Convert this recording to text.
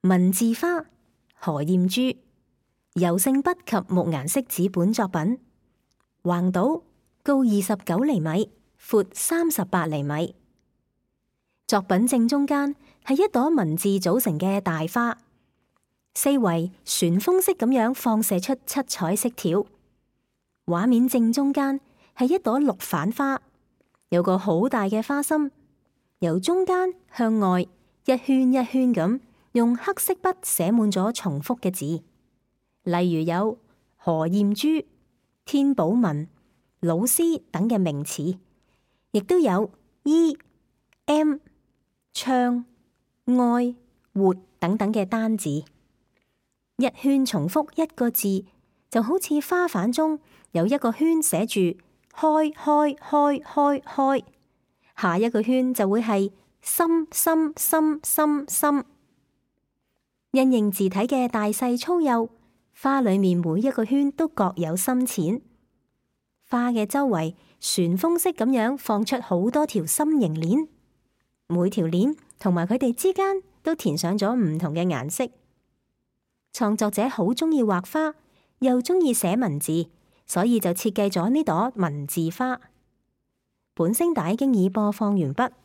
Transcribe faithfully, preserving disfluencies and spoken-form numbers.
文字花，何艷珠，油性筆及木顏色紙本作品，橫島，高二十九厘米，闊三十八厘米。作品正中間係一朵文字組成嘅大花，四圍旋風式咁樣放射出七彩色條。畫面正中間係一朵綠反花，有個好大嘅花心，由中間向外一圈一圈咁用黑色筆寫滿咗重複嘅字，例如有何艷珠、天寶文、老師等嘅名詞，亦都有 E、M、唱、愛、活等等嘅單字。一圈重複一個字，就好似花瓣中有一個圈寫住開開開開開，下一個圈就會係心心心心心。因應字體嘅大細粗幼，花裏面每一個圈都各有深淺。花嘅周圍旋風式咁樣放出好多條心形鏈，每條鏈同埋佢哋之間都填上咗唔同嘅顏色。創作者好鍾意畫花，又鍾意寫文字，所以就設計咗呢朵文字花。本聲帶經已播放完畢。